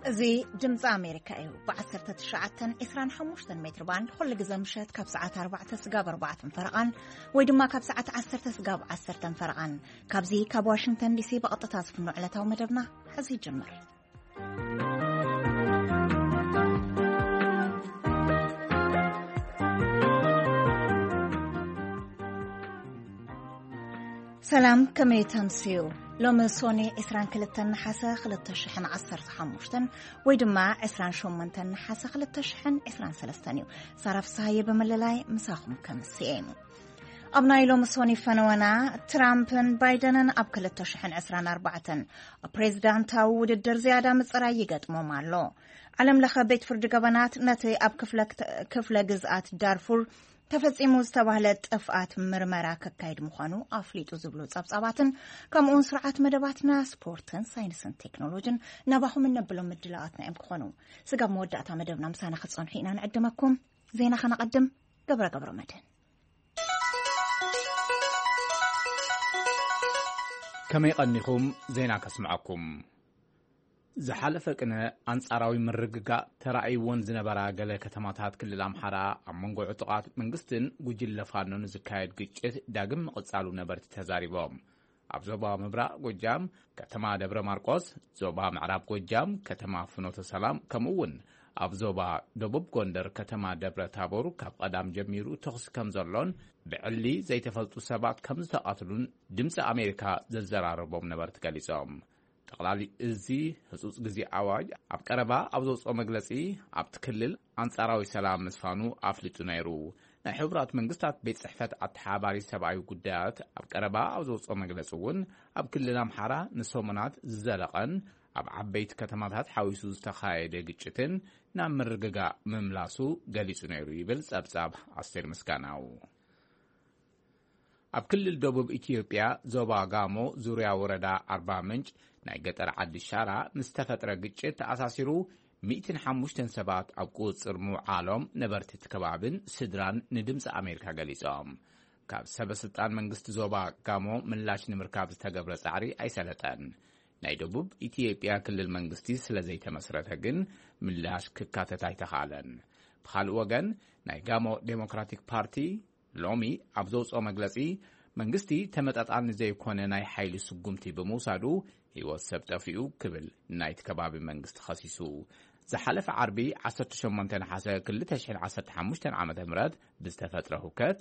እዚ ድምፂ ኣሜሪካ እዩ። ብ1925 ሜትር ባንድ ኩሉ ግዜ ምሸት ካብ ሰዓት 4 ስጋብ 4 ፈረቓን ወይ ድማ ካብ ሰዓት 10 ስጋብ 10 ፈረቓን፣ ካብዚ ካብ ዋሽንግተን ዲሲ ብቐጥታ ዝፍኖ ዕለታዊ መደብና ሕዚ ይጅምር። ሰላም፣ ከመይ ተምስዩ? ሎሚ ሶኒ 22 ነሓሰ 2015 ወይ ድማ 28 ነሓሰ 2023 እዩ። ሳራ ፍስሃየ ብምልላይ ምሳኹም ከምስየ። ኣብ ናይ ሎሚ ሶኒ ፈነወና፣ ትራምፕን ባይደንን ኣብ 2024 ኣብ ፕሬዚዳንታዊ ውድድር ዝያዳ ምጽራይ ይገጥሞም ኣሎ። ዓለም ለኸ ቤት ፍርዲ ገበናት ነቲ ኣብ ክፍለ ግዝኣት ዳርፉር ተፈጺሙ ዝተባህለ ጥፍኣት ምርመራ ከካይድ ምዃኑ ኣፍሊጡ ዝብሉ ጸብጻባትን ከምኡውን ስርዓት መደባትና ስፖርትን ሳይንስን ቴክኖሎጅን ናባኹም እነብሎም ምድላዋትና እዮም ክኾኑ። ስጋብ መወዳእታ መደብና ምሳና ክትጸንሑ ኢና ንዕድመኩም። ዜና ከነቐድም። ገብረ ገብረ መድህን። ከመይ ቀኒኹም? ዜና ከስምዐኩም። ዝሓለፈ ቅነ ኣንጻራዊ ምርግጋእ ተራእይዎን ዝነበራ ገለ ከተማታት ክልል ኣምሓራ ኣብ መንጎ ዕጡቓት መንግስትን ጉጅለ ፋኖን ዝካየድ ግጭት ዳግም ምቕጻሉ ነበርቲ ተዛሪቦም። ኣብ ዞባ ምብራቕ ጎጃም ከተማ ደብረ ማርቆስ፣ ዞባ ምዕራብ ጎጃም ከተማ ፍኖተ ሰላም፣ ከምኡ እውን ኣብ ዞባ ደቡብ ጎንደር ከተማ ደብረ ታቦር ካብ ቀዳም ጀሚሩ ተኹሲ ከም ዘሎን ብዕሊ ዘይተፈልጡ ሰባት ከም ዝተቐትሉን ድምፂ ኣሜሪካ ዘዘራረቦም ነበርቲ ገሊጾም። ጠቕላሊ እዚ ህጹጽ ግዜ ኣዋጅ ኣብ ቀረባ ኣብ ዘውፅኦ መግለጺ፣ ኣብቲ ክልል ኣንጻራዊ ሰላም ምስፋኑ ኣፍሊጡ ነይሩ። ናይ ሕቡራት መንግስታት ቤት ጽሕፈት ኣተሓባሪ ሰብኣዊ ጉዳያት ኣብ ቀረባ ኣብ ዘውፅኦ መግለጺ እውን፣ ኣብ ክልል ኣምሓራ ንሰሙናት ዝዘለቐን ኣብ ዓበይቲ ከተማታት ሓዊሱ ዝተኻየደ ግጭትን ናብ ምርግጋእ ምምላሱ ገሊጹ ነይሩ ይብል ጸብጻብ ኣስቴር ምስጋናው። ኣብ ክልል ደቡብ ኢትዮጵያ ዞባ ጋሞ ዙርያ ወረዳ ኣርባ ምንጭ ናይ ገጠር ዓዲ ሻራ ምስ ተፈጥረ ግጭት ተኣሳሲሩ 105 ሰባት ኣብ ቁጽጽር ምውዓሎም ነበርቲ እቲ ከባብን ስድራን ንድምፂ ኣሜሪካ ገሊጾም። ካብ ሰበ ስልጣን መንግስቲ ዞባ ጋሞ ምላሽ ንምርካብ ዝተገብረ ጻዕሪ ኣይሰለጠን። ናይ ደቡብ ኢትዮጵያ ክልል መንግስቲ ስለ ዘይተመስረተ ግን ምላሽ ክካተት ኣይተኻለን። ብኻልእ ወገን ናይ ጋሞ ዴሞክራቲክ ፓርቲ ሎሚ ኣብ ዘውፅኦ መግለፂ፣ መንግስቲ ተመጣጣኒ ዘይኮነ ናይ ሓይሊ ስጉምቲ ብምውሳዱ ህይወት ሰብ ጠፊኡ ክብል ናይቲ ከባቢ መንግስቲ ኸሲሱ። ዝሓለፈ ዓርቢ 18 ነሓሰ 2015 ዓ ም ብዝተፈጥረ ሁከት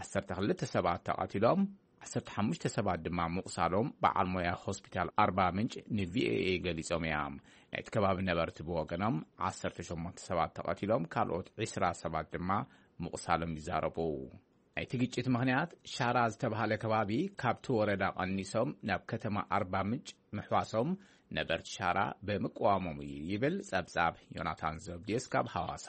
12 ሰባት ተቐቲሎም፣ 15 ሰባት ድማ ምቑሳሎም በዓል ሞያ ሆስፒታል ኣርባ ምንጭ ንቪኦኤ ገሊጾም እዮም። ናይቲ ከባቢ ነበርቲ ብወገኖም 18 ሰባት ተቐቲሎም፣ ካልኦት 20 ሰባት ድማ ምቑሳሎም ይዛረቡ። ናይቲ ግጭት ምኽንያት ሻራ ዝተባህለ ከባቢ ካብቲ ወረዳ ቀኒሶም ናብ ከተማ ኣርባ ምንጭ ምሕዋሶም ነበርቲ ሻራ ብምቅዋሞም እዩ ይብል ጸብጻብ ዮናታን ዘብዴስ ካብ ሃዋሳ።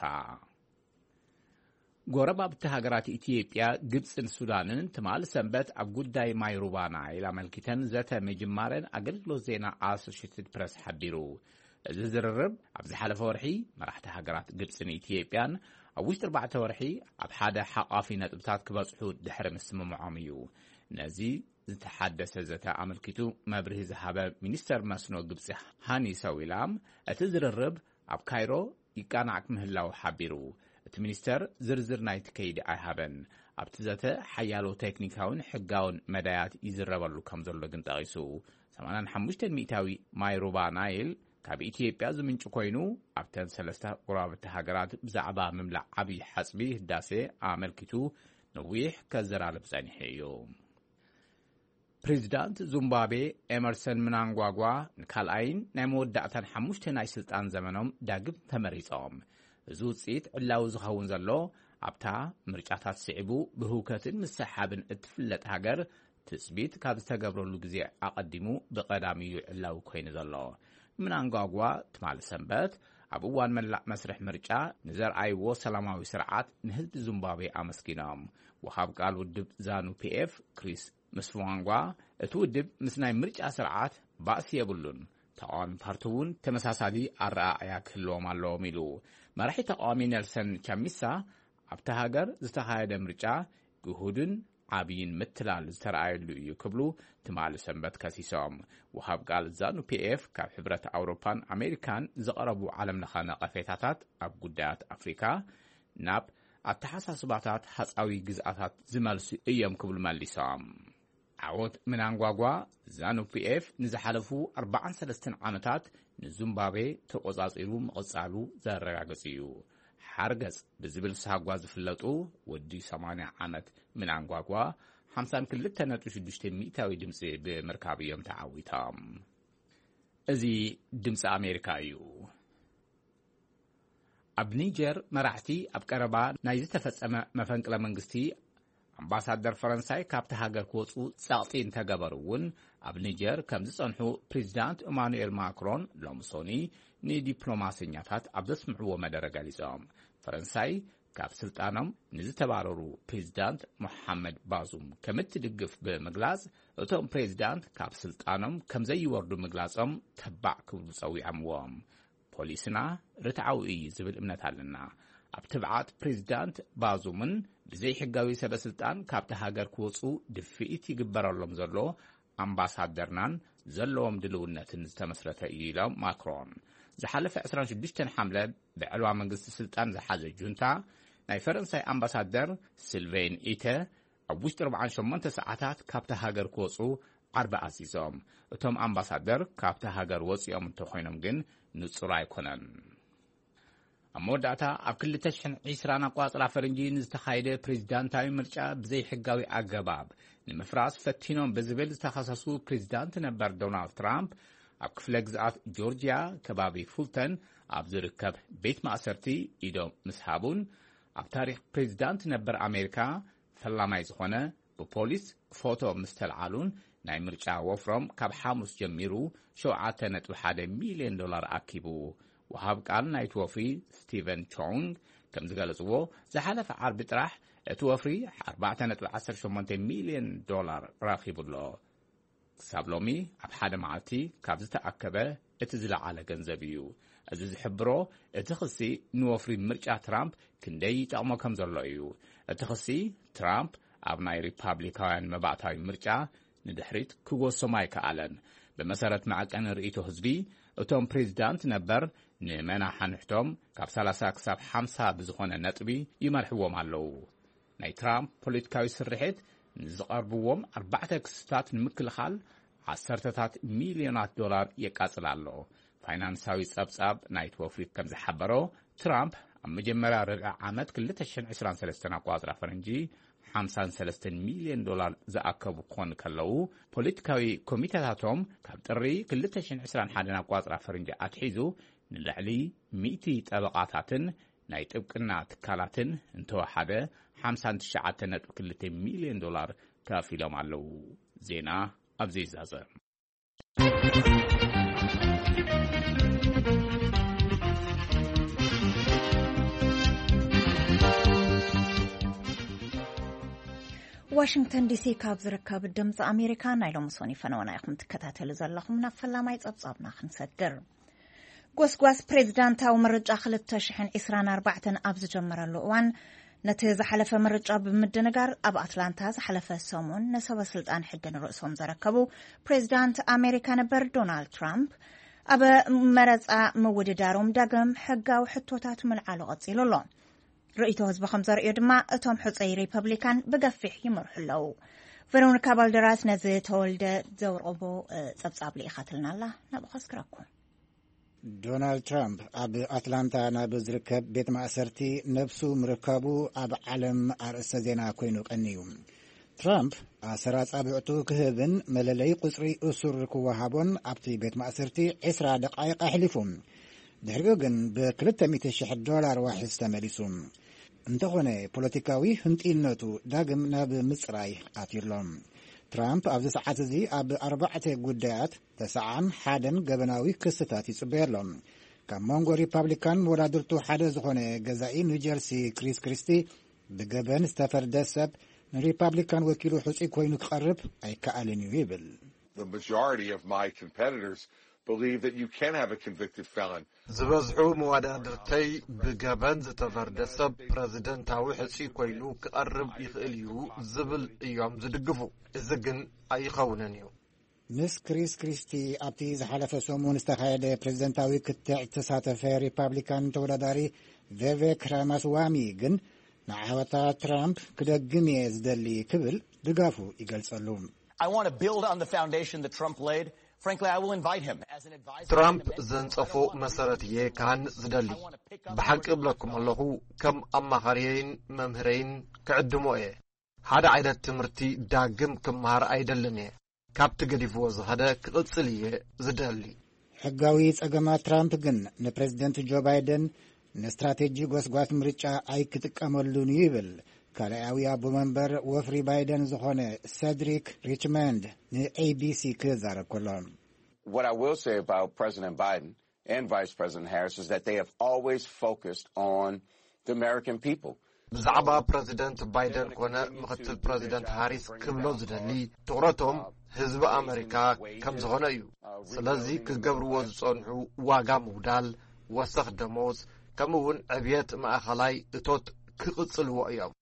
ጎረባብቲ ሃገራት ኢትዮጵያ፣ ግብጽን ሱዳንን ትማል ሰንበት ኣብ ጉዳይ ማይ ሩባ ናይል ኣመልኪተን ዘተ ምጅማረን ኣገልግሎት ዜና ኣሶሽትድ ፕረስ ሓቢሩ። እዚ ዝርርብ ኣብ ዝሓለፈ ወርሒ መራሕቲ ሃገራት ግብጽን ኢትዮጵያን ኣብ ውሽጢ ኣርባዕተ ወርሒ ኣብ ሓደ ሓቋፊ ነጥብታት ክበጽሑ ድሕሪ ምስምምዖም እዩ። ነዚ ዝተሓደሰ ዘተ ኣመልኪቱ መብርሂ ዝሃበ ሚኒስተር መስኖ ግብጺ ሃኒ ሰዊላም፣ እቲ ዝርርብ ኣብ ካይሮ ይቃናዕ ምህላው ሓቢሩ። እቲ ሚኒስተር ዝርዝር ናይቲ ከይዲ ኣይሃበን። ኣብቲ ዘተ ሓያሎ ቴክኒካውን ሕጋውን መዳያት ይዝረበሉ ከም ዘሎ ግን ጠቒሱ፣ 85% ማይ ሩባ ናይል ካብ ኢትዮጵያ ዝምንጩ ኮይኑ፣ ኣብተን ሰለስተ ጎረባብቲ ሃገራት ብዛዕባ ምምላእ ዓብዪ ሓጽቢ ህዳሴ ኣመልኪቱ ነዊሕ ከዘራርብ ጸኒሑ እዩ። ፕሬዚዳንት ዙምባቤ ኤመርሰን ምናንጓጓ ንካልኣይን ናይ መወዳእታን ሓሙሽተ ናይ ስልጣን ዘመኖም ዳግም ተመሪጾም። እዚ ውጽኢት ዕላዊ ዝኸውን ዘሎ ኣብታ ምርጫታት ስዒቡ ብህውከትን ምስሓብን እትፍለጥ ሃገር ትጽቢት ካብ ዝተገብረሉ ግዜ ኣቐዲሙ ብቐዳሚ እዩ ዕላዊ ኮይኑ ዘሎ። ምናንጓጓ ትማሊ ሰንበት ኣብ እዋን መላእ መስርሕ ምርጫ ንዘርኣይዎ ሰላማዊ ስርዓት ንህዝቢ ዙምባቤ ኣመስጊኖም። ወሃብ ቃል ውድብ ዛኑ ፒኤፍ ክሪስ ምስ ፉዋንጓ፣ እቲ ውድብ ምስ ናይ ምርጫ ስርዓት ባእሲ የብሉን፣ ተቃዋሚ ፓርቲ እውን ተመሳሳሊ ኣረኣእያ ክህልዎም ኣለዎም ኢሉ። መራሒ ተቃዋሚ ኔልሰን ቻሚሳ፣ ኣብታ ሃገር ዝተኻየደ ምርጫ ግሁድን ዓብይን ምትላል ዝተረኣየሉ እዩ ክብሉ ትማሊ ሰንበት ከሲሶም። ወሃብ ቃል ዛኑ ፒኤፍ ካብ ሕብረት ኣውሮፓን ኣሜሪካን ዝቐረቡ ዓለም ለኸ ነቐፌታታት ኣብ ጉዳያት ኣፍሪካ ናብ ኣተሓሳስባታት ሃፃዊ ግዝኣታት ዝመልሱ እዮም ክብሉ መሊሶም። ዓወት ምናንጓጓ ዛኑ ፒኤፍ ንዝሓለፉ ኣርባዓን ሰለስተን ዓመታት ንዙምባቤ ተቆጻጺሩ ምቕጻሉ ዘረጋግጽ እዩ። ሓርገጽ ብዝብል ሳጓ ዝፍለጡ ወዲ ሰማንያ ዓመት ምናንጓጓ ሓምሳን ክልተ ነጥቢ ሽዱሽተ ሚእታዊ ድምጺ ብምርካብ እዮም ተዓዊቶም። እዚ ድምፂ ኣሜሪካ እዩ። ኣብ ኒጀር መራሕቲ ኣብ ቀረባ ናይ ዝተፈጸመ መፈንቅለ መንግስቲ ኣምባሳደር ፈረንሳይ ካብቲ ሃገር ክወፁ ጸቕጢ እንተገበሩ እውን ኣብ ኒጀር ከም ዝጸንሑ ፕሬዚዳንት ኢማኑኤል ማክሮን ሎምሶኒ ንዲፕሎማሰኛታት ኣብ ዘስምዕዎ መደረ ገሊጾም። ፈረንሳይ ካብ ስልጣኖም ንዝተባረሩ ፕሬዚዳንት ሞሓመድ ባዙም ከም እትድግፍ ብምግላጽ እቶም ፕሬዚዳንት ካብ ስልጣኖም ከም ዘይወርዱ ምግላጾም ተባዕ ክብሉ ጸዊዖምዎም። ፖሊስና ርትዓዊ እዩ ዝብል እምነት ኣለና። ኣብ ትብዓት ፕሬዚዳንት ባዙምን ብዘይሕጋዊ ሰበ ስልጣን ካብቲ ሃገር ክወፁ ድፍኢት ይግበረሎም ዘሎ ኣምባሳደርናን ዘለዎም ድልውነትን ዝተመስረተ እዩ ኢሎም ማክሮን። ዝሓለፈ ዕስራን ሽዱሽተን ሓምለ ብዕልዋ መንግስቲ ስልጣን ዝሓዘ ጁንታ ናይ ፈረንሳይ ኣምባሳደር ስልቬን ኢተ ኣብ ውሽጢ ኣርባዓን ሸሞንተ ሰዓታት ካብቲ ሃገር ክወፁ ዓርቢ ኣዚዞም። እቶም ኣምባሳደር ካብቲ ሃገር ወፂኦም እንተኮይኖም ግን ንፁር ኣይኮነን። ኣብ መወዳእታ ኣብ ክልተ ሽሕን ዕስራን ኣቋፅራ ፈረንጂ ንዝተኻየደ ፕሬዚዳንታዊ ምርጫ ብዘይሕጋዊ ኣገባብ ንምፍራስ ፈቲኖም ብዝብል ዝተኸሰሱ ፕሬዚዳንት ነበር ዶናልድ ትራምፕ ኣብ ክፍለ ግዝኣት ጆርጂያ ከባቢ ፉልተን ኣብ ዝርከብ ቤት ማእሰርቲ ኢዶም ምስ ሃቡን ኣብ ታሪክ ፕሬዚዳንት ነበር ኣሜሪካ ፈላማይ ዝኾነ ብፖሊስ ፎቶ ምስ ተልዓሉን ናይ ምርጫ ወፍሮም ካብ ሓሙስ ጀሚሩ ሸውዓተ ነጥቢ ሓደ ሚልዮን ዶላር ኣኪቡ። ወሃብ ቃል ናይቲ ወፍሪ ስቲቨን ቾንግ ከም ዝገለጽዎ ዝሓለፈ ዓርቢ ጥራሕ እቲ ወፍሪ ኣርባዕተ ነጥቢ ዓሰርተ ሸሞንተ ሚልዮን ዶላር ረኺቡ ኣሎ። ክሳብ ሎሚ ኣብ ሓደ መዓልቲ ካብ ዝተኣከበ እቲ ዝለዓለ ገንዘብ እዩ። እዚ ዝሕብሮ እቲ ክሲ ንወፍሪ ምርጫ ትራምፕ ክንደይ ይጠቕሞ ከም ዘሎ እዩ። እቲ ክሲ ትራምፕ ኣብ ናይ ሪፓብሊካውያን መባእታዊ ምርጫ ንድሕሪት ክጎሶም ኣይከኣለን። ብመሰረት መዐቀኒ ርእይቶ ህዝቢ እቶም ፕሬዚዳንት ነበር ንመናሓንሕቶም ካብ ሰላሳ ክሳብ ሓምሳ ብዝኾነ ነጥቢ ይመርሕዎም ኣለዉ። ናይ ትራምፕ ፖለቲካዊ ስርሒት ንዝቐርብዎም ኣርባዕተ ክስታት ንምክልኻል ዓሰርተታት ሚልዮናት ዶላር የቃጽል ኣሎ። ፋይናንሳዊ ጸብጻብ ናይቲ ወፍሪ ከም ዝሓበሮ ትራምፕ ኣብ መጀመርያ ርብዒ ዓመት ክልተ ሽሕን ዕስራን ሰለስተን ኣቋጽራ ፈረንጂ ሓምሳን ሰለስተን ሚልዮን ዶላር ዝኣከቡ ክኾኑ ከለዉ ፖለቲካዊ ኮሚተታቶም ካብ ጥሪ ክልተ ሽሕን ዕስራን ሓደን ኣቋጽራ ፈረንጂ ኣትሒዙ ንልዕሊ ሚእቲ ጠበቓታትን ናይ ጥብቅና ትካላትን እንተወሓደ ሓምሳን ትሽዓተ ነጥቢ ክልተ ሚልዮን ዶላር ከፊሎም ኣለዉ። ዜና ኣብዚ ይዛዘም። ዋሽንግተን ዲሲ ካብ ዝርከብ ድምፂ ኣሜሪካ ናይ ሎሚ ሶኒ ፈነወና ኢኹም ትከታተሉ ዘለኹም። ናብ ፈላማይ ጸብጻብና ክንሰግር። ጎስጓስ ፕሬዝዳንታዊ ምርጫ ክልተ ሽሕን ዕስራን ኣርባዕተን ኣብ ዝጀመረሉ እዋን፣ ነቲ ዝሓለፈ ምርጫ ብምድንጋር ኣብ ኣትላንታ ዝሓለፈ ሰሙን ንሰበ ስልጣን ሕጊ ንርእሶም ዘረከቡ ፕሬዝዳንት ኣሜሪካ ነበር ዶናልድ ትራምፕ ኣብ መረፃ ምውድዳሮም ዳግም ሕጋዊ ሕቶታት ምልዓሉ ቀፂሉ ኣሎ። ርእይቶ ህዝቢ ከም ዘርእዮ ድማ እቶም ሕፀይ ሪፐብሊካን ብገፊሕ ይመርሑ ኣለዉ። ቨሮኒካ ባልደራስ ነዚ ተወልደ ዘውረቦ ጸብጻብ ልኢኻትልና ኣላ። ናብኡ ከስክረኩም። ዶናልድ ትራምፕ ኣብ ኣትላንታ ናብ ዝርከብ ቤት ማእሰርቲ ነብሱ ምርካቡ ኣብ ዓለም ኣርእስተ ዜና ኮይኑ ቀንዩ። ትራምፕ ኣሰር ኣጻብዕቱ ክህብን መለለይ ቁጽሪ እሱር ክወሃቦን ኣብቲ ቤት ማእሰርቲ ዕስራ ደቃይቕ ኣሕሊፉ። ድሕሪኡ ግን ብ ክልተ ሚእቲ ሽሕ ዶላር ዋሕስ ተመሊሱ። እንተኾነ ፖለቲካዊ ህንጥይነቱ ዳግም ናብ ምጽራይ ኣትዩ ኣሎ። ትራምፕ ኣብዚ ሰዓት እዚ ኣብ ኣርባዕተ ጉዳያት ተስዓን ሓደን ገበናዊ ክስታት ይጽበዮ ኣሎ። ካብ መንጎ ሪፓብሊካን መወዳድርቱ ሓደ ዝኾነ ገዛኢ ኒውጀርሲ ክሪስ ክሪስቲ ብገበን ዝተፈርደ ሰብ ንሪፓብሊካን ወኪሉ ሕጹይ ኮይኑ ክቐርብ ኣይከኣልን እዩ ይብል። The majority of my competitors believe that you can have a convicted felon. ዝበዝሑ መወዳድርተይ ብገበን ዝተፈርደ ሰብ ፕረዚደንታዊ ሕጹይ ኮይኑ ክቐርብ ይኽእል እዩ ዝብል እዮም ዝድግፉ። እዚ ግን ኣይኸውንን እዩ። ምስ ክሪስ ክሪስቲ ኣብቲ ዝሓለፈ ሰሙን ዝተኻየደ ፕሬዝደንታዊ ክትዕ ዝተሳተፈ ሪፓብሊካን ተወዳዳሪ ቬቬክ ራማስዋሚ ግን ንዓወታ ትራምፕ ክደግም እየ ዝደሊ ክብል ድጋፉ ይገልጸሉ። I want to build on the foundation that Trump laid. Frankly, I will invite him as an advisor. ትራምፕ ዘንጸፎ መሰረት እየ ክሃንጽ ዝደሊ። ብሓቂ እብለኩም ኣለኹ፣ ከም ኣማኻሪየይን መምህረይን ክዕድሞ እየ። ሓደ ዓይነት ትምህርቲ ዳግም ክመሃር ኣይደልን እየ። ካብቲ ገዲፍዎ ዝኸደ ክቕጽል እየ ዝደሊ። ሕጋዊ ጸገማት ትራምፕ ግን ንፕሬዝደንት ጆ ባይደን ንስትራቴጂ ጎስጓስ ምርጫ ኣይክጥቀመሉን እዩ ይብል ካልኣዊ ኣቦ መንበር ወፍሪ ባይደን ዝኾነ ሰድሪክ ሪችመንድ ንኤቢሲ ክዛረብ ከሎ። What I will say about President Biden and Vice President Harris is that they have always focused on the American people. ብዛዕባ ፕረዚደንት ባይደን ኮነ ምኽትል ፕረዚደንት ሃሪስ ክብሎ ዝደሊ፣ ትኹረቶም ህዝቢ ኣመሪካ ከም ዝኾነ እዩ። ስለዚ ክገብርዎ ዝጸንሑ ዋጋ ምውዳል፣ ወሰኽ ደሞዝ፣ ከምኡ እውን ዕብየት ማእኸላይ እቶት ክቕጽልዎ እዮም።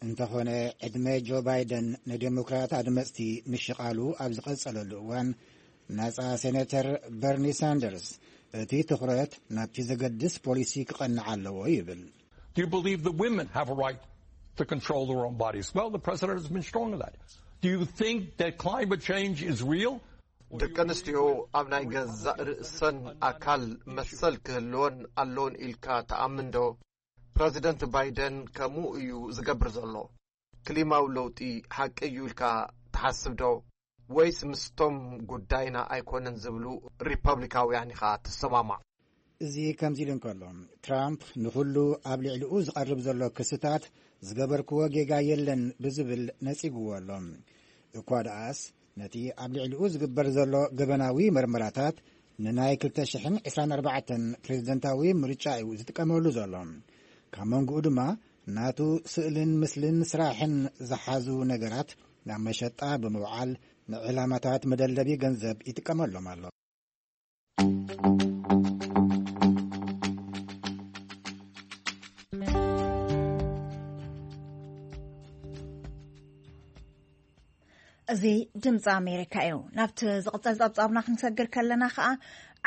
እንተኾነ ዕድመ ጆ ባይደን ንዴሞክራት ኣድመፅቲ ምሽቓሉ ኣብ ዝቐጸለሉ እዋን ናጻ ሴኔተር በርኒ ሳንደርስ እቲ ትኹረት ናብቲ ዘገድስ ፖሊሲ ክቐንዕ ኣለዎ ይብል። Do you believe that women have a right to control their own bodies? Well, the president has been strong on that. Do you think that climate change is real? ደቂ ኣንስትዮ ኣብ ናይ ገዛእ ርእሰን ኣካል መሰል ክህልወን ኣለዎን ኢልካ ትኣምን ዶ? ፕረዚደንት ባይደን ከምኡ እዩ ዝገብር ዘሎ። ክሊማዊ ለውጢ ሓቂ እዩ ኢልካ ትሓስብ ዶ? ወይስ ምስቶም ጉዳይና ኣይኮነን ዝብሉ ሪፐብሊካውያን ኢኻ ትሰማማዕ? እዚ ከምዚ ኢሉ እንከሎ፣ ትራምፕ ንኹሉ ኣብ ልዕሊኡ ዝቐርብ ዘሎ ክስታት ዝገበርክዎ ጌጋ የለን ብዝብል ነጺግዎ ኣሎ። እኳ ደኣስ ነቲ ኣብ ልዕሊኡ ዝግበር ዘሎ ገበናዊ መርመራታት ንናይ ክልተ ሽሕን ዕስራን ኣርባዕተን ፕሬዝደንታዊ ምርጫ እዩ ዝጥቀመሉ ዘሎ። ካብ መንጎኡ ድማ ናቱ ስእልን ምስልን ስራሕን ዝሓዙ ነገራት ናብ መሸጣ ብምውዓል ንዕላማታት መደለቢ ገንዘብ ይጥቀመሎም ኣሎ። እዚ ድምፂ ኣሜሪካ እዩ። ናብቲ ዝቕፀል ፀብፃብና ክንሰግር ከለና ከዓ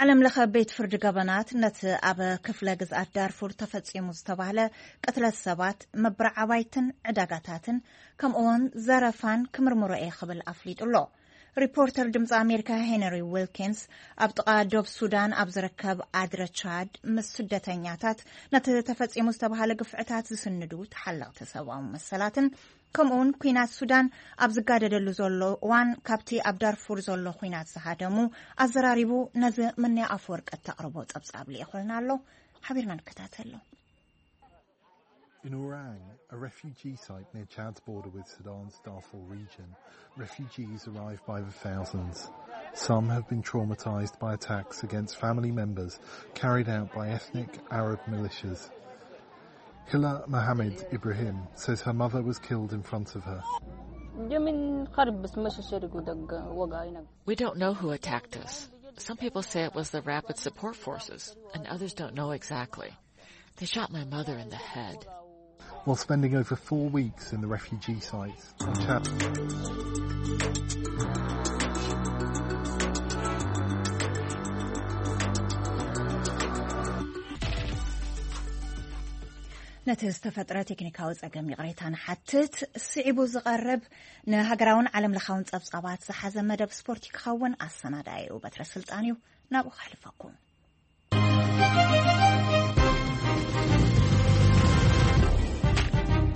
ዓለም ለኸ ቤት ፍርዲ ገበናት ነቲ ኣብ ክፍለ ግዝኣት ዳርፉር ተፈፂሙ ዝተባህለ ቅትለት ሰባት፣ መብርዓባይትን ዕዳጋታትን ከምኡውን ዘረፋን ክምርምሮ እየ ክብል ኣፍሊጡ ኣሎ። ሪፖርተር ድምፂ ኣሜሪካ ሄነሪ ዊልኪንስ ኣብ ጥቓ ዶብ ሱዳን ኣብ ዝርከብ ኣድረ ቻድ ምስ ስደተኛታት ነቲ ተፈፂሙ ዝተባህለ ግፍዕታት ዝስንዱ ተሓለቕቲ ሰብኣዊ መሰላትን ከምኡውን ኲናት ሱዳን ኣብ ዝጋደደሉ ዘሎ እዋን ካብቲ ኣብ ዳርፉር ዘሎ ኲናት ዝሃደሙ ኣዘራሪቡ ነዚ ምንያ ኣፈወርቂ እተቕርቦ ጸብጻብ ልኢኹልና ኣሎ። ሓቢርና ንከታተሎ። In Orang, a refugee site near Chad's border with Sudan's Darfur region, refugees arrive by the thousands. Some have been traumatized by attacks against family members carried out by ethnic Arab militias. Hila Mohammed Ibrahim says her mother was killed in front of her. جا من خرب بس مشى شرق ودق وقع هناك. We don't know who attacked us. Some people say it was the Rapid Support Forces, and others don't know exactly. They shot my mother in the head. While spending over four weeks in the refugee site in Chad. ነቲ ዝተፈጥረ ቴክኒካዊ ጸገም ይቕሬታ ንሓትት። ስዒቡ ዝቐርብ ንሃገራውን ዓለም ለኻውን ጸብጻባት ዝሓዘ መደብ ስፖርት ክኸውን ኣሰናዳኢኡ በትረ ስልጣን እዩ። ናብኡ ከሕልፈኩም።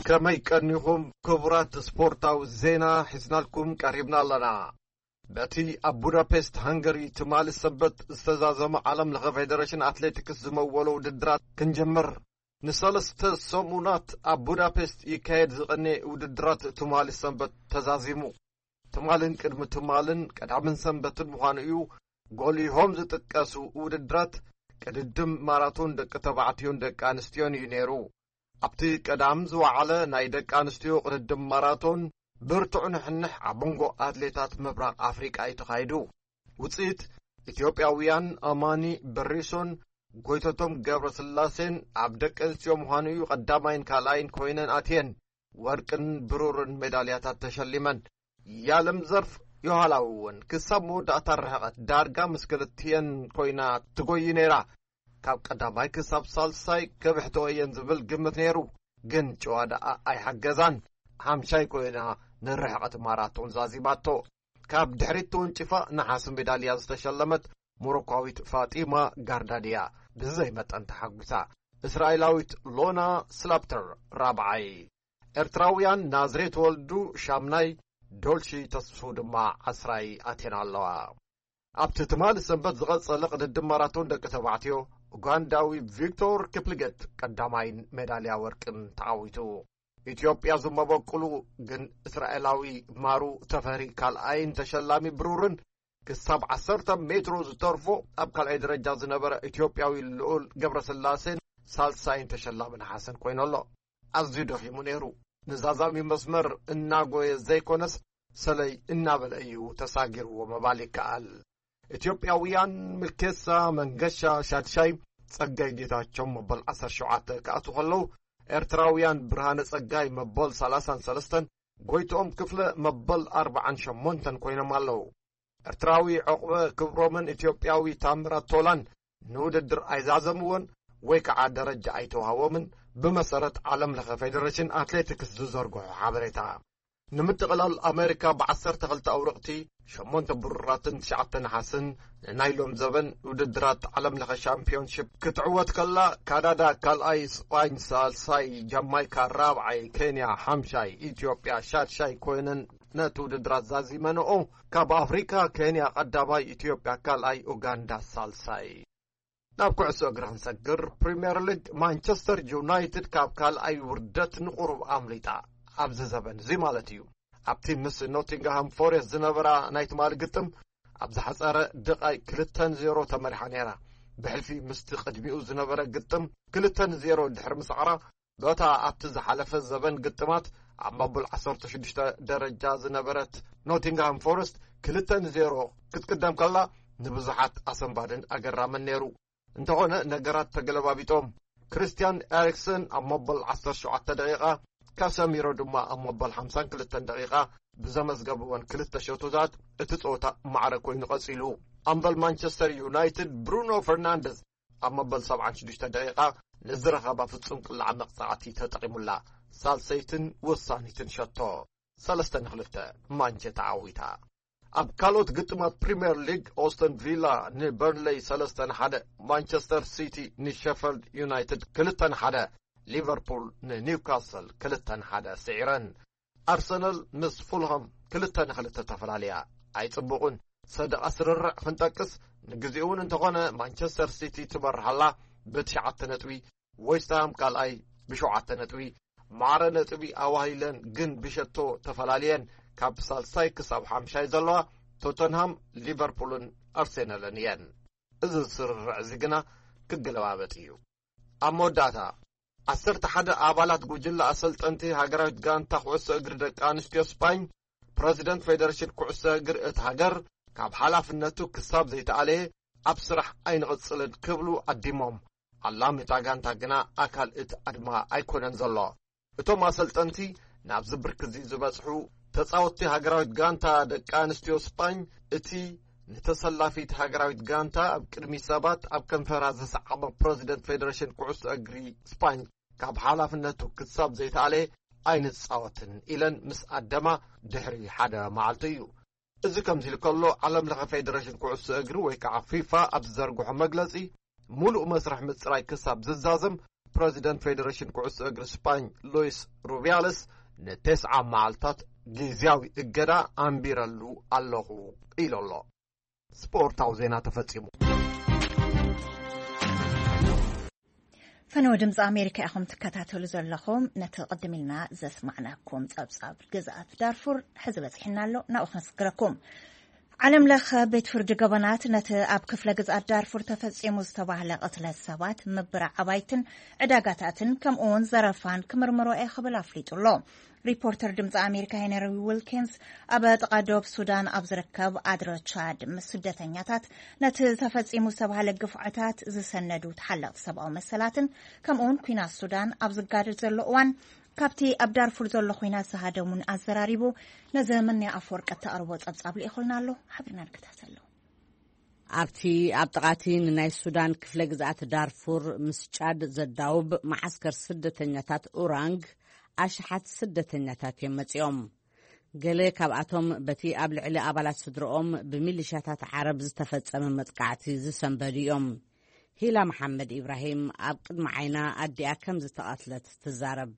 ከመይ ቀኒኹም ክቡራት፣ ስፖርታዊ ዜና ሒዝናልኩም ቀሪብና ኣለና። በቲ ኣብ ቡዳፔስት ሃንገሪ ትማሊ ሰንበት ዝተዛዘመ ዓለም ለኸ ፌደሬሽን ኣትሌቲክስ ዝመወሎ ውድድራት ክንጀምር፣ ንሰለስተ ሰሙናት ኣብ ቡዳፔስት ይካየድ ዝቐነ ውድድራት ትማሊ ሰንበት ተዛዚሙ። ትማልን ቅድሚ ትማልን ቀዳምን ሰንበትን ምዃኑ እዩ። ጎሊሆም ዝጥቀሱ ውድድራት ቅድድም ማራቶን ደቂ ተባዕትዮን ደቂ ኣንስትዮን እዩ ነይሩ። ኣብቲ ቀዳም ዝወዓለ ናይ ደቂ ኣንስትዮ ቅድድም ማራቶን ብርቱዕ ንሕንሕ ኣብ መንጎ ኣትሌታት ምብራቕ ኣፍሪቃ እዩ ተኻይዱ። ውፅኢት ኢትዮጵያውያን ኣማኒ በሪሶን ጎይተቶም ገብረስላሴን ኣብ ደቂ ኣንስትዮ ምዃኑ እዩ ቀዳማይን ካልኣይን ኮይነን ኣትየን ወርቅን ብሩርን ሜዳልያታት ተሸሊመን። የዓለም ዘርፍ ዮሃላዊ እውን ክሳብ መወዳእታ ርሕቐት ዳርጋ ምስ ክልቲኤን ኮይና ትጎይ ነይራ። ካብ ቀዳማይ ክሳብ ሳልሳይ ከብሕትኦ እየን ዝብል ግምት ነይሩ፣ ግን ጭዋ ደኣ ኣይሓገዛን። ሓምሻይ ኮይና ንርሕቐት ማራቶን ዛዚማቶ። ካብ ድሕሪት ተወንጭፋ ነሓስ ሜዳልያ ዝተሸለመት ሞሮኳዊት ፋጢማ ጋርዳድያ ብዘይ መጠን ተሓጒሳ። እስራኤላዊት ሎና ስላፕተር ራብዓይ። ኤርትራውያን ናዝሬት ወልዱ ሻምናይ፣ ዶልሺ ተስፉ ድማ ዓስራይ ኣትየን ኣለዋ። ኣብቲ ትማሊ ሰንበት ዝቐጸለ ቅድድም ማራቶን ደቂ ተባዕትዮ፣ ኡጋንዳዊ ቪክቶር ኪፕሊገት ቀዳማይን ሜዳልያ ወርቅን ተዓዊቱ። ኢትዮጵያ ዝመበቁሉ ግን እስራኤላዊ ማሩ ተፈሪ ካልኣይን ተሸላሚ ብሩርን ክሳብ ዓሰርተ ሜትሮ ዝተርፎ ኣብ ካልኣይ ደረጃ ዝነበረ ኢትዮጵያዊ ልዑል ገብረስላሴን ሳልሳይን ተሸላሚ ነሓስን ኮይኑ ኣሎ። ኣዝዩ ደኺሙ ነይሩ። ንዛዛሚ መስመር እናጎየ ዘይኮነስ ሰለይ እናበለ እዩ ተሳጊርዎ ምባል ይከኣል። ኢትዮጵያውያን ምልኬሳ መንገሻ ሻድሻይ፣ ጸጋይ ጌታቸው መበል ዓሰርተ ሸውዓተ ክኣትዉ ከለዉ፣ ኤርትራውያን ብርሃነ ጸጋይ መበል ሰላሳን ሰለስተን፣ ጎይትኦም ክፍለ መበል ኣርባዓን ሸሞንተን ኮይኖም ኣለዉ። ኤርትራዊ ዑቕበ ክብሮምን ኢትዮጵያዊ ታምራት ቶላን ንውድድር ኣይዛዘምዎን ወይ ከዓ ደረጃ ኣይተዋህቦምን፣ ብመሰረት ዓለም ለኸ ፌደሬሽን ኣትሌቲክስ ዝዘርግሖ ሓበሬታ። ንምጥቕላል፣ ኣሜሪካ ብዓሰርተ ክልተ ኣውርቕቲ፣ ሸሞንተ ብሩራትን ትሽዓተ ነሓስን፣ ንናይ ሎም ዘበን ውድድራት ዓለም ለኸ ሻምፒዮንሺፕ ክትዕወት ከላ፣ ካናዳ ካልኣይ፣ ስጳኝ ሳልሳይ፣ ጃማይካ ራብዓይ፣ ኬንያ ሓምሻይ፣ ኢትዮጵያ ሻድሻይ ኮይነን ነቲ ውድድራት ዛዚመንኦ። ካብ ኣፍሪካ፣ ኬንያ ቀዳማይ፣ ኢትዮጵያ ካልኣይ፣ ኡጋንዳ ሳልሳይ። ናብ ኩዕሶ እግሪ ክንሰግር፣ ፕሪምየር ሊግ፣ ማንቸስተር ዩናይትድ ካብ ካልኣይ ውርደት ንቁሩብ ኣምሊጣ። ኣብዚ ዘበን እዚ ማለት እዩ። ኣብቲ ምስ ኖቲንግሃም ፎሬስት ዝነበራ ናይ ትማሊ ግጥም፣ ኣብ ዝሓጸረ ደቓይ ክልተ ንዜሮ ተመሪሓ ነይራ። ብሕልፊ ምስቲ ቅድሚኡ ዝነበረ ግጥም ክልተ ንዜሮ ድሕሪ ምስዓራ፣ በታ ኣብቲ ዝሓለፈ ዘበን ግጥማት ኣብ መበል ዓሰርተ ሽዱሽተ ደረጃ ዝነበረት ኖቲንግሃም ፎረስት ክልተ ንዜሮ ክትቅደም ከላ፣ ንብዙሓት ኣሰንባድን ኣገራምን ነይሩ። እንተኾነ፣ ነገራት ተገለባቢጦም። ክሪስትያን ኤሪክሰን ኣብ መበል ዓሰርተ ሸውዓተ ደቂቓ፣ ካሰሚሮ ድማ ኣብ መበል ሓምሳን ክልተን ደቂቓ ብዘመዝገብወን ክልተ ሸቶታት፣ እቲ ጸወታ ማዕረ ኮይኑ ቀጺሉ። ኣምበል ማንቸስተር ዩናይትድ ብሩኖ ፈርናንደዝ ኣብ መበል ሰብዓን ሽዱሽተ ደቂቓ ንዝረኸባ ፍጹም ቅላዕ መቕጻዕቲ ተጠቒሙላ። ሳልሰይትን ወሳኒትን ሸቶ። ሰለስተ ንክልተ፣ ማንቸ ተዓዊታ። ኣብ ካልኦት ግጥማት ፕሪምየር ሊግ፣ ኦስተን ቪላ ንበርንሌይ ሰለስተ ንሓደ፣ ማንቸስተር ሲቲ ንሸፈልድ ዩናይትድ ክልተ ንሓደ፣ ሊቨርፑል ንኒውካስል ክልተ ንሓደ ስዒረን። ኣርሰናል ምስ ፉልሃም ክልተ ንክልተ ተፈላለያ። ኣይጽቡቕን። ሰደቓ ስርርዕ ክንጠቅስ፣ ንግዜኡ እውን እንተኾነ ማንቸስተር ሲቲ ትመርሓላ ብትሽዓተ ነጥቢ፣ ዌስትሃም ካልኣይ ብሸውዓተ ነጥቢ። ማዕረ ነጥቢ ኣዋሂለን ግን ብሸቶ ተፈላለየን። ካብ ሳልሳይ ክሳብ ሓምሻይ ዘለዋ ቶተንሃም፣ ሊቨርፑልን ኣርሴናልን እየን። እዚ ስርርዕ እዚ ግና ክገለባበጥ እዩ። ኣብ መወዳእታ፣ ዓሰርተ ሓደ ኣባላት ጉጅለ ኣሰልጠንቲ ሃገራዊት ጋንታ ኩዕሶ እግሪ ደቂ ኣንስትዮ ስጳኝ፣ ፕረዚደንት ፌደሬሽን ኩዕሶ እግሪ እቲ ሃገር ካብ ሓላፍነቱ ክሳብ ዘይተኣለየ ኣብ ስራሕ ኣይንቕጽልን ክብሉ ኣዲሞም። ኣላሚ እታ ጋንታ ግና ኣካል እቲ ኣድማ ኣይኮነን ዘሎ። እቶም ኣሰልጠንቲ ናብዚ ብርኪ እዚ ዝበጽሑ ተጻወትቲ ሃገራዊት ጋንታ ደቂ ኣንስትዮ ስጳኝ፣ እቲ ንተሰላፊት ሃገራዊት ጋንታ ኣብ ቅድሚ ሰባት ኣብ ከንፈራ ዝሰዓመ ፕረዚደንት ፌደሬሽን ኩዕሶ እግሪ ስጳኝ ካብ ሓላፍነቱ ክሳብ ዘይተኣለ ኣይንጻወትን ኢለን ምስ ኣደማ ድሕሪ ሓደ መዓልቲ እዩ። እዚ ከምዚ ኢሉ ከሎ፣ ዓለም ለኸ ፌደሬሽን ኩዕሶ እግሪ ወይ ከዓ ፊፋ ኣብ ዝዘርግሖ መግለጺ፣ ሙሉእ መስርሕ ምጽራይ ክሳብ ዝዛዘም፣ ፕረዚደንት ፌደሬሽን ኩዕሶ እግሪ ስጳኝ ሉዊስ ሩቢያልስ ንተስዓ መዓልታት ግዝያዊ እገዳ ኣንቢረሉ ኣለኹ ኢሉ ኣሎ። ስፖርታዊ ዜና ተፈጺሙ። ፈነወ ድምፂ ኣሜሪካ ኢኹም ትከታተሉ ዘለኹም። ነቲ ቅድም ኢልና ዘስማዕናኩም ጸብጻብ፣ ግዝኣት ዳርፉር ሕዚ በፂሕና ኣሎ፣ ናብኡ ክነስግረኩም። ዓለም ለኸ ቤት ፍርዲ ገበናት ነቲ ኣብ ክፍለ ግዝኣት ዳርፉር ተፈጺሙ ዝተባህለ ቅትለት ሰባት፣ ምብራዕ ኣባይትን ዕዳጋታትን ከምኡ እውን ዘረፋን ክምርምሮ እየ ክብል ኣፍሊጡ ኣሎ። ሪፖርተር ድምፂ ኣሜሪካ ሄነሪ ዊልኪንስ ኣብ ጥቓ ዶብ ሱዳን ኣብ ዝርከብ ኣድረ ቻድ ምስ ስደተኛታት ነቲ ተፈጺሙ ዝተባህለ ግፍዕታት ዝሰነዱ ተሓለቕቲ ሰብኣዊ መሰላትን ከምኡውን ኩናት ሱዳን ኣብ ዝጋደድ ዘሎ እዋን ካብቲ ኣብ ዳርፉር ዘሎ ኩናት ዝሃደሙን ኣዘራሪቡ። ነዚ ምንያ ኣፈወርቂ እተቕርቦ ጸብጻብ ልኢኹልና ኣሎ። ሓቢርና ንከታተሎ። ኣብቲ ኣብ ጥቓቲ ንናይ ሱዳን ክፍለ ግዝኣት ዳርፉር ምስ ጫድ ዘዳውብ መዓስከር ስደተኛታት ኡራንግ ኣሽሓት ስደተኛታት እዮም መጺኦም። ገለ ካብኣቶም በቲ ኣብ ልዕሊ ኣባላት ስድረኦም ብሚሊሻታት ዓረብ ዝተፈጸመ መጥቃዕቲ ዝሰንበዱ እዮም። ሂላ መሓመድ ኢብራሂም ኣብ ቅድሚ ዓይና ኣዲኣ ከም ዝተቐትለት ትዛረብ።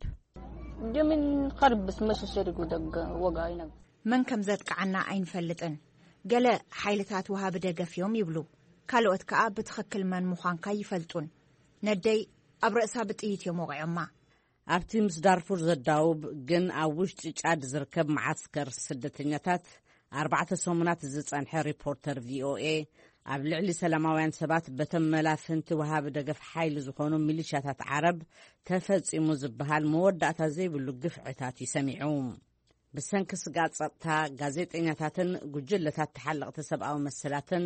دي من قرب بس مش شرق ودق وقاينا. መን ከም ዘጥቅዓና ኣይንፈልጥን። ገለ ሓይልታት ወሃቢ ደገፍ እዮም ይብሉ፣ ካልኦት ከኣ ብትኽክል መን ምዃንካ ይፈልጡን። ነደይ ኣብ ርእሳ ብጥይት እዮም ወቒዖማ። ኣብቲ ምስ ዳርፉር ዘዳውብ ግን ኣብ ውሽጢ ጫድ ዝርከብ መዓስከር ስደተኛታት ኣርባዕተ ሰሙናት ዝጸንሐ ሪፖርተር ቪኦኤ ኣብ ልዕሊ ሰላማውያን ሰባት በተመላፍንቲ ወሃቢ ደገፍ ሓይሊ ዝኾኑ ሚሊሻታት ዓረብ ተፈጺሙ ዝበሃል መወዳእታ ዘይብሉ ግፍዕታት እዩ ሰሚዑ። ብሰንኪ ስግኣት ጸጥታ፣ ጋዜጠኛታትን ጉጅለታት ተሓለቕቲ ሰብኣዊ መሰላትን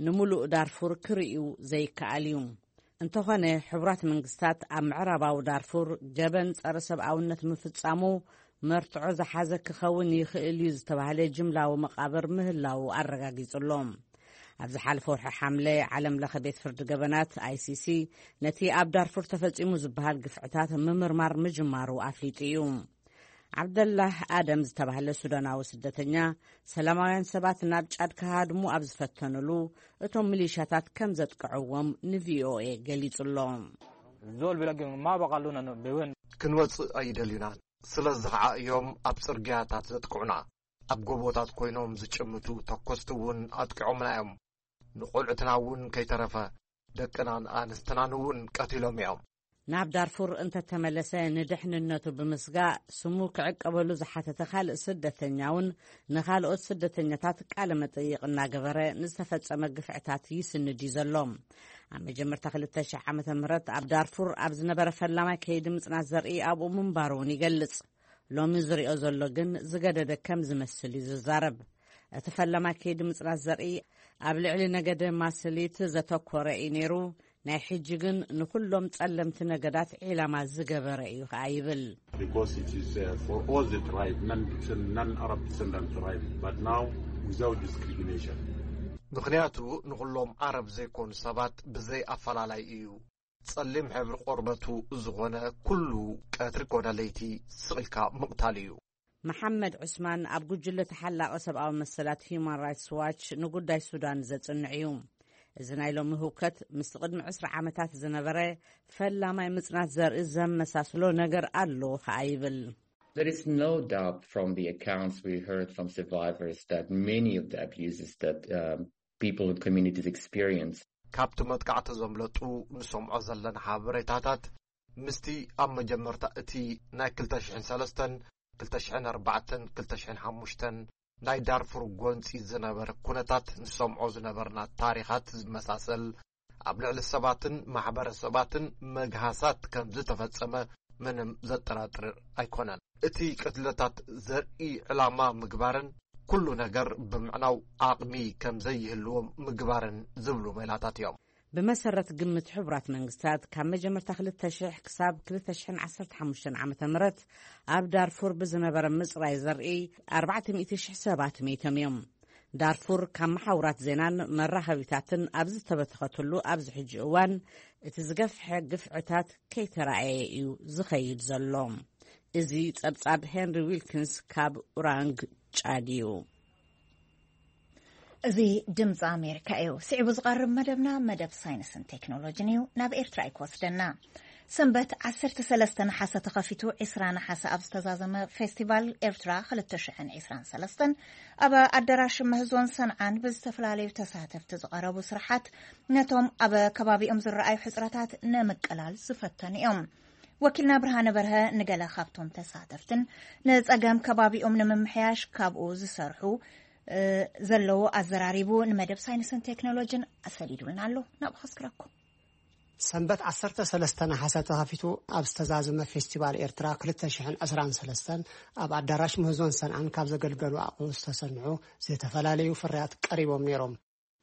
ንምሉእ ዳርፉር ክርእዩ ዘይከኣል እዩ። እንተኾነ፣ ሕቡራት መንግስታት ኣብ ምዕራባዊ ዳርፉር ገበን ጸረ ሰብኣውነት ምፍጻሙ መርትዖ ዝሓዘ ክኸውን ይኽእል እዩ ዝተባህለ ጅምላዊ መቓብር ምህላዉ ኣረጋጊጹ ኣሎ። ኣብ ዝሓለፈ ወርሒ ሓምለ፣ ዓለም ለኸ ቤት ፍርዲ ገበናት፣ ኣይሲሲ፣ ነቲ ኣብ ዳርፉር ተፈጺሙ ዝበሃል ግፍዕታት ምምርማር ምጅማሩ ኣፍሊጡ እዩ። ዓብደላህ ኣደም ዝተባህለ ሱዳናዊ ስደተኛ፣ ሰላማውያን ሰባት ናብ ጫድ ክሃድሙ ኣብ ዝፈተኑሉ፣ እቶም ሚሊሻታት ከም ዘጥቅዕዎም ንቪኦኤ ገሊጹ ኣሎ። زول بيلاقي ما بقى لنا بوين. ክንወጽእ ኣይደልዩናን። ስለዚ ኸዓ እዮም ኣብ ጽርግያታት ዘጥቅዑና። ኣብ ጎቦታት ኮይኖም ዝጭምቱ ተኮስቲ እውን ኣጥቂዖምና እዮም። ንቖልዑትና እውን ከይተረፈ ደቅናን ኣንስትናን እውን ቀቲሎም እዮም። ናብ ዳርፉር እንተተመለሰ ንድሕንነቱ ብምስጋእ ስሙ ክዕቀበሉ ዝሓተተ ካልእ ስደተኛ እውን ንኻልኦት ስደተኛታት ቃለ መጠይቕ እናገበረ ንዝተፈጸመ ግፍዕታት ይስንድ እዩ ዘሎ። ኣብ መጀመርታ ክልተ ሽሕ ዓመተ ምህረት ኣብ ዳርፉር ኣብ ዝነበረ ፈላማይ ከይዲ ምጽናት ዘርኢ ኣብኡ ምንባሩ እውን ይገልጽ። ሎሚ ዝሪኦ ዘሎ ግን ዝገደደ ከም ዝመስል እዩ ዝዛረብ። እቲ ፈላማይ ከይዲ ምጽናት ዘርኢ ኣብ ልዕሊ ነገደ ማስሊት ዘተኮረ እዩ ነይሩ። ናይ ሕጂ ግን ንኹሎም ጸለምቲ ነገዳት ዒላማ ዝገበረ እዩ ከኣ ይብል። Because it is uh, for all the tribe, non-Arab descendant tribe, but now without discrimination. ምኽንያቱ ንኹሎም ዓረብ ዘይኮኑ ሰባት ብዘይ ኣፈላላይ እዩ። ጸሊም ሕብሪ ቆርበቱ ዝኾነ ኩሉ ቀትሪ ኮነ ለይቲ ስቕ ኢልካ ምቕታል እዩ። መሓመድ ዑስማን ኣብ ጉጅለ ተሓላቒ ሰብኣዊ መሰላት ሂዩማን ራይትስ ዋች ንጉዳይ ሱዳን ዘጽንዕ እዩ። እዚ ናይ ሎሚ ህውከት ምስቲ ቅድሚ ዕስራ ዓመታት ዝነበረ ፈላማይ ምጽናት ዘርኢ ዘመሳስሎ ነገር ኣሎ ከኣ ይብል። There is no doubt from the accounts we heard from survivors that many of the abuses that um, people and communities experience ካብቲ መጥቃዕቲ ዘምለጡ ንሰምዖ ዘለና ሓበሬታታት ምስቲ ኣብ መጀመርታ እቲ ናይ ክልተ ሽሕን ሰለስተን ክልተ ሽሕን ኣርባዕተን ክልተ ሽሕን ሓሙሽተን ናይ ዳርፉር ጎንጺ ዝነበረ ኩነታት ንሰምዖ ዝነበርና ታሪኻት ዝመሳሰል፣ ኣብ ልዕሊ ሰባትን ማሕበረሰባትን መግሃሳት ከም ዝተፈጸመ ምንም ዘጠራጥር ኣይኮነን። እቲ ቅትለታት ዘርኢ ዕላማ ምግባርን ኩሉ ነገር ብምዕናው ዓቕሚ ከም ዘይህልዎም ምግባርን ዝብሉ ሜላታት እዮም። ብመሰረት ግምት ሕቡራት መንግስታት፣ ካብ መጀመርታ ክልተ ሽሕ ክሳብ ክልተ ሽሕን ዓሰርተ ሓሙሽተን ዓመተ ምህረት ኣብ ዳርፉር ብዝነበረ ምጽራይ ዘርኢ ኣርባዕተ ሚእቲ ሽሕ ሰባት መይቶም እዮም። ዳርፉር ካብ መሓውራት ዜናን መራኸቢታትን ኣብ ዝተበተኸትሉ ኣብዚ ሕጂ እዋን፣ እቲ ዝገፍሐ ግፍዕታት ከይተራእየ እዩ ዝኸይድ ዘሎ። እዚ ጸብጻብ ሄንሪ ዊልኪንስ ካብ ኡራንግ ጫድ እዩ። እዚ ድምፂ ኣሜሪካ እዩ። ስዒቡ ዝቐርብ መደብና መደብ ሳይንስን ቴክኖሎጂን እዩ። ናብ ኤርትራ እዩ ክወስደና። ሰንበት ዓሰርተ ሰለስተ ነሓሰ ተኸፊቱ፣ ዕስራ ነሓሰ ኣብ ዝተዛዘመ ፌስቲቫል ኤርትራ ክልተ ሽሕን ዕስራን ሰለስተን ኣብ ኣዳራሽ መህዞን ሰንዓን ብዝተፈላለዩ ተሳተፍቲ ዝቐረቡ ስራሓት ነቶም ኣብ ከባቢኦም ዝረኣዩ ሕጽረታት ንምቅላል ዝፈተኑ እዮም። ወኪልና ብርሃነ በርሀ ንገለ ካብቶም ተሳተፍትን ንጸገም ከባቢኦም ንምምሕያሽ ካብኡ ዝሰርሑ ዘለዉ ኣዘራሪቡ ንመደብ ሳይንስን ቴክኖሎጂን ኣሰሊዱልና ኣሎ። ናብኡ ከስክረኩም። ሰንበት ዓሰርተ ሰለስተ ነሓሰ ተኸፊቱ ኣብ ዝተዛዘመ ፌስቲቫል ኤርትራ ክልተ ሽሕን ዕስራን ሰለስተን ኣብ ኣዳራሽ ምህዞን ሰንዓን ካብ ዘገልገሉ ኣቑሑ ዝተሰንዑ ዝተፈላለዩ ፍርያት ቀሪቦም ነይሮም።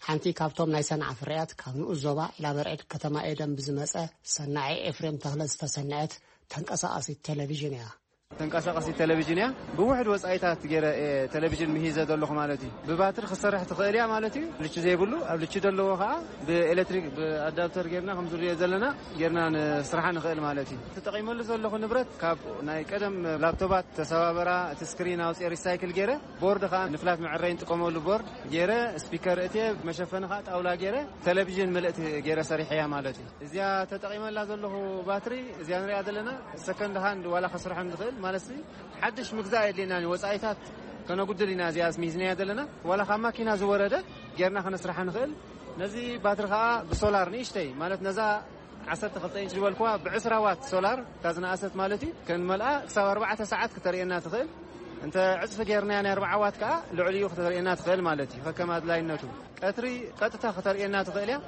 ሓንቲ ካብቶም ናይ ሰንዓ ፍርያት ካብ ንኡስ ዞባ ዒላበርዕድ ከተማ ኤደን ብዝመጸ ሰናዒ ኤፍሬም ተኽለ ዝተሰንዐት ተንቀሳቓሲት ቴሌቪዥን እያ። ተንቀሳቐሲት ቴሌቪዥን እያ። ብውሕድ ወጻኢታት ገይረ እየ ቴሌቪዥን ምሂዘ ዘለኹ ማለት እዩ። ብባትሪ ክትሰርሕ ትኽእል እያ ማለት እዩ። ልቺ ዘይብሉ፣ ኣብ ልቺ ዘለዎ ኸዓ ብኤሌክትሪክ፣ ብኣዳፕተር ጌርና ከም ዝሪኦ ዘለና ጌርና ንስርሓ ንኽእል ማለት እዩ። ተጠቒመሉ ዘለኹ ንብረት ካብ ናይ ቀደም ላፕቶባት ተሰባበራ፣ እቲ ስክሪን ኣውፅኤ ሪሳይክል ገይረ፣ ቦርድ ኸዓ ንፍላት መዕረይ ንጥቀመሉ ቦርድ ገይረ፣ ስፒከር እትየ፣ መሸፈኒ ኸዓ ጣውላ ገይረ፣ ቴሌቪዥን ምልእቲ ገይረ ሰሪሐያ ማለት እዩ። እዚኣ ተጠቒመላ ዘለኹ ባትሪ፣ እዚኣ ንሪኣ ዘለና ሰከንድ ሃንድ ዋላ ከስርሖ ንኽእል ማለት እዚ ሓድሽ ምግዛእ የድልየናን እዩ። ወጻኢታት ከነጉድል ኢና እዚኣ ሚዝናያ ዘለና። ዋላ ካብ ማኪና ዝወረደ ጌርና ከነስርሓ ንኽእል። ነዚ ባትሪ ኸዓ ብሶላር ንእሽተይ ማለት ነዛ ዓሰርተ ክልተ ኢንች ዝበልኩዋ ብዕስራ ዋት ሶላር እታ ዝነኣሰት ማለት እዩ። ከንመልኣ ክሳብ ኣርባዕተ ሰዓት ክተርእየና ትኽእል። እንተ ዕጽፊ ጌርናያ ናይ ኣርባዓ ዋት ከኣ ልዕሊኡ ክተርእየና ትኽእል ማለት እዩ። ከከም ኣድላይነቱ ቀትሪ ቀጥታ ክተርእየና ትኽእል እያ።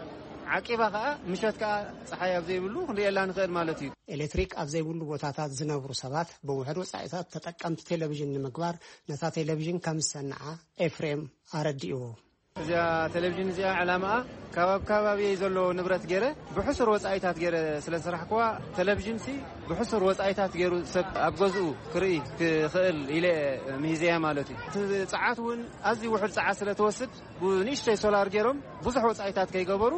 ዓቂባ ከኣ ምሸት ከኣ ጸሓይ ኣብ ዘይብሉ ክንርእየላ ንኽእል ማለት እዩ። ኤሌክትሪክ ኣብ ዘይብሉ ቦታታት ዝነብሩ ሰባት ብውሕድ ወጻኢታት ተጠቀምቲ ቴሌቪዥን ንምግባር ነታ ቴሌቪዥን ከም ዝሰንዓ ኤፍሬም ኣረዲእዎ። እዚኣ ቴሌቪዥን እዚኣ ዕላማኣ ካብ ኣብ ከባቢየይ ዘሎ ንብረት ገይረ ብሕሱር ወጻኢታት ገይረ ስለ ዝሰራሕኩዋ፣ ቴሌቪዥንሲ ብሕሱር ወጻኢታት ገይሩ ሰብ ኣብ ገዝኡ ክርኢ ክኽእል ኢለ ምሂዘያ ማለት እዩ። እቲ ጸዓት እውን ኣዝዩ ውሑድ ጸዓት ስለ ትወስድ፣ ብንእሽተይ ሶላር ገይሮም ብዙሕ ወጻኢታት ከይገበሩ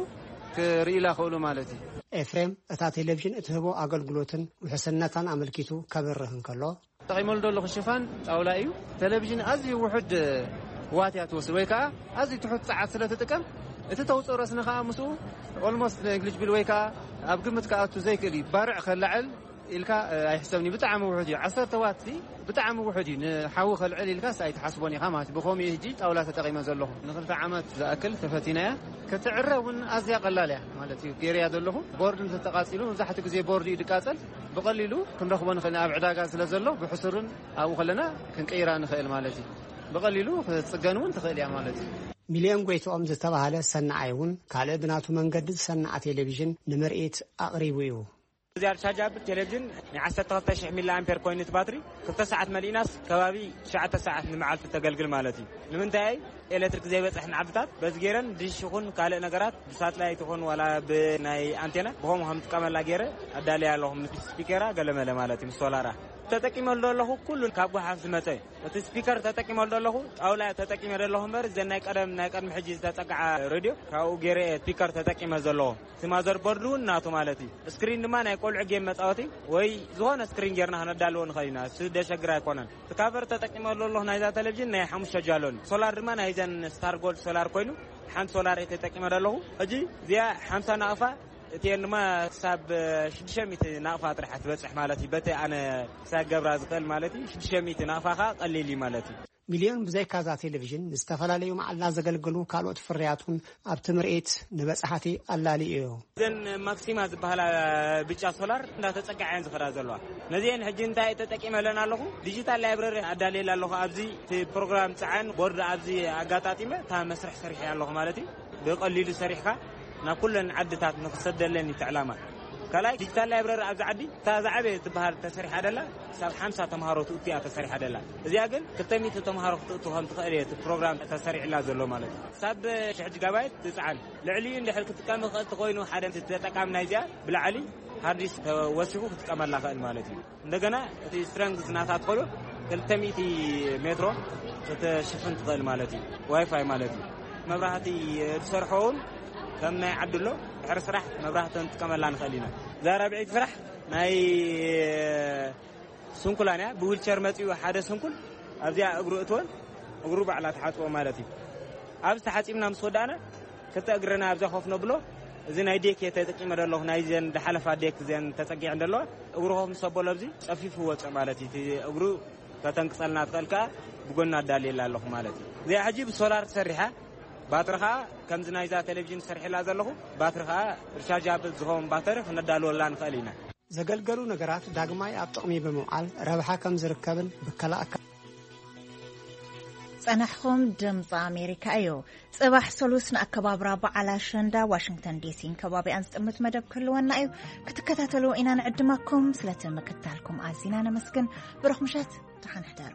ክርእዩላ ክእሉ ማለት እዩ። ኤፍሬም እታ ቴሌቪዥን እትህቦ ኣገልግሎትን ውሕስነታን ኣመልኪቱ ከብርህ እንከሎ፣ ተጠቒመሉ ዘለኹ ሽፋን ጣውላ እዩ። ቴሌቪዥን ኣዝዩ ውሑድ ዋት እያ ትወስድ፣ ወይ ከዓ ኣዝዩ ትሑት ጸዓት ስለ ትጥቀም፣ እቲ ተውፅኦ ረስኒ ከዓ ምስኡ ኦልሞስት ነግሊጅብል ወይ ከዓ ኣብ ግምት ክኣቱ ዘይክእል እዩ። ባርዕ ከላዕል ኢልካ፣ እ፣ ኣይሕሰብን እዩ። ብጣዕሚ ውሑድ እዩ። ዓሰርተ ዋት እዚ ብጣዕሚ ውሑድ እዩ። ንሓዊ ከልዕል ኢልካስ ኣይትሓስቦን ኢኻ ማለት እዩ። ብኸምኡ እዩ ሕጂ ጣውላ ተጠቒመ ዘለኹ። ንኽልተ ዓመት ዝኣክል ተፈቲናያ። ክትዕረ እውን ኣዝያ ቀላል እያ ማለት እዩ። ገይረያ ዘለኹ። ቦርድ እንተተቃጺሉ፣ መብዛሕትኡ ግዜ ቦርድ እዩ ዝቃጸል። ብቐሊሉ ክንረኽቦ ንኽእል ኢና፣ ኣብ ዕዳጋ ስለ ዘሎ፣ ብሕሱርን ኣብኡ ከለና ክንቅይራ ንኽእል ማለት እዩ። ብቐሊሉ ክትጽገን እውን ትኽእል እያ ማለት እዩ። ሚልዮን ጎይትኦም ዝተባህለ ሰናዓይ እውን ካልእ ብናቱ መንገዲ ዝሰንዓ ቴሌቪዥን ንምርኢት ኣቕሪቡ እዩ። እዚ ኣርቻጃብል ቴሌቪዥን ናይ ዓሰርተ ክልተ ሽሕ ሚሊ ኣምፔር ኮይኑ እቲ ባትሪ ክልተ ሰዓት መሊእናስ ከባቢ ትሽዓተ ሰዓት ንመዓልቲ ተገልግል ማለት እዩ። ንምንታይ? ኤሌክትሪክ ዘይበፅሐን ዓድታት በዚ ገይረን ድሽ ይኹን ካልእ ነገራት ብሳትላይት ይኹን ዋላ ብናይ ኣንቴና ብኸምኡ ከም ጥቀመላ ገይረ ኣዳልያ ኣለኹ። ምስ ስፒከራ ገለመለ ማለት እዩ፣ ምስ ሶላራ ተጠቂመሉ ዘለኹ። ኩሉ ካብ ጎሓፍ ዝመፀ እዩ። እቲ ስፒከር ተጠቂመሉ ዘለኹ፣ ጣውላ ተጠቂመ ዘለኹ እምበር፣ እዘን ናይ ቀደም፣ ናይ ቀድሚ ሕጂ ዝተፀግዓ ሬድዮ ካብኡ ገይረ እየ ስፒከር ተጠቂመ ዘለኹ። እቲ ማዘር ቦርድ እውን ናቱ ማለት እዩ። ስክሪን ድማ ናይ ቆልዑ ጌም መፃወቲ ወይ ዝኾነ ስክሪን ጌርና ክነዳልዎ ንኽእል ኢና። እሱ ደሸግር ኣይኮነን። እቲ ካቨር ተጠቂመሉ ዘለኹ ናይዛ ቴሌቪዥን ናይ ሓሙሽተ ጃሎን፣ ሶላር ድማ ናይዘን ስታር ጎልድ ሶላር ኮይኑ፣ ሓንቲ ሶላር እየ ተጠቂመ ዘለኹ። ሕጂ እዚኣ ሓምሳ ናቕፋ፣ እቲኤን ድማ ክሳብ ሽዱሽተ ሚእቲ ናቕፋ ጥራሕ ትበፅሕ ማለት እዩ። በቲ ኣነ ክሳብ ገብራ ዝኽእል ማለት እዩ። ሽዱሽተ ሚእቲ ናቕፋ ኸዓ ቀሊል እዩ ማለት እዩ። ሚልዮን ብዘይካዛ ቴሌቪዥን ንዝተፈላለዩ መዓላ ዘገልግሉ ካልኦት ፍርያት እውን ኣብቲ ምርኢት ንበጻሕቲ ኣላልዩ እዩ። እዘን ማክሲማ ዝበሃላ ብጫ ሶላር እንዳተጸግዓ እየን ዝኸዳ ዘለዋ። ነዚአን ሕጂ እንታይ ተጠቂመለን ኣለኹ? ዲጂታል ላይብረሪ ኣዳልየላ ኣለኹ። ኣብዚ እቲ ፕሮግራም ጸዓን ቦርድ ኣብዚ ኣጋጣጢመ እታ መስርሕ ሰሪሐ ኣለኹ ማለት እዩ። ብቐሊሉ ሰሪሕካ ናብ ኩለን ዓድታት ንኽሰደለን እዩ እቲ ዕላማ። ካልኣይ ዲጂታል ላይብረሪ ኣብዚ ዓዲ እታ ዝዓበየ ትበሃል ተሰሪሓ ደላ ክሳብ ሓምሳ ተምሃሮ ትእቱ እያ ተሰሪሓ ደላ። እዚኣ ግን ክልተ ሚእቲ ተምሃሮ ክትእቱ ከም ትኽእል እየ እቲ ፕሮግራም ተሰሪዕላ ዘሎ ማለት እዩ። ክሳብ ሽሕ ጂጋባይት ትጽዓን። ልዕሊኡ እንድሕር ክትጥቀም ይኽእል ተኾይኑ ሓደ ተጠቃሚ ናይዚኣ ብላዕሊ ሃርዲስ ተወሲኹ ክትጥቀመላ ይኽእል ማለት እዩ። እንደገና እቲ ስትረንግዝ ናታ ትኾሎ ክልተ ሚእቲ ሜትሮ ክትሽፍን ትኽእል ማለት እዩ። ዋይፋይ ማለት እዩ። መብራህቲ ዝሰርሖ እውን ከም ናይ ዓዲ ኣሎ። ድሕሪ ስራሕ መብራህቲ ንጥቀመላ ንኽእል ኢና። እዛ ራብዐይቲ ስራሕ ናይ ስንኩላን እያ። ብዊልቸር መጺኡ ሓደ ስንኩል ኣብዚኣ እግሩ እትወን እግሩ ባዕላ ትሓጽቦ ማለት እዩ። ኣብዚ ተሓጺብና ምስ ወዳእና ክልተ እግርና ኣብዛ ኮፍ ነብሎ። እዚ ናይ ዴክ እየ ተጠቂመ ዘለኹ፣ ናይዘን ዝሓለፋ ዴክ እዘን ተጸጊዐን ዘለዋ። እግሩ ኮፍ ምስ ኣበሎ ኣብዚ ጸፊፉ ወጸ ማለት እዩ። እቲ እግሩ ከተንቅጸልና ትኽእል ከኣ ብጎና ኣዳልየላ ኣለኹ ማለት እዩ። እዚኣ ሕጂ ብሶላር ትሰርሕ እያ። ባትሪ ከኣ ከምዚ ናይዛ ቴሌቪዥን ዝሰርሐላ ዘለኹ ባትሪ ከኣ ሪቻርጃብል ዝኸውን ባተሪ ክነዳልወላ ንኽእል ኢና። ዘገልገሉ ነገራት ዳግማይ ኣብ ጥቕሚ ብምውዓል ረብሓ ከም ዝርከብን ብከላ ኣካ- ጸናሕኹም ድምፂ ኣሜሪካ እዩ። ጽባሕ ሰሉስ ንኣከባብራ በዓል ኣሸንዳ ዋሽንግተን ዲሲን ከባቢኣን ዝጥምት መደብ ክህልወና እዩ። ክትከታተሉ ኢና ንዕድመኩም። ስለቲ ምክታልኩም ኣዚና ነመስግን። ብሩኽ ምሸት፣ ደሓን ሕደሩ።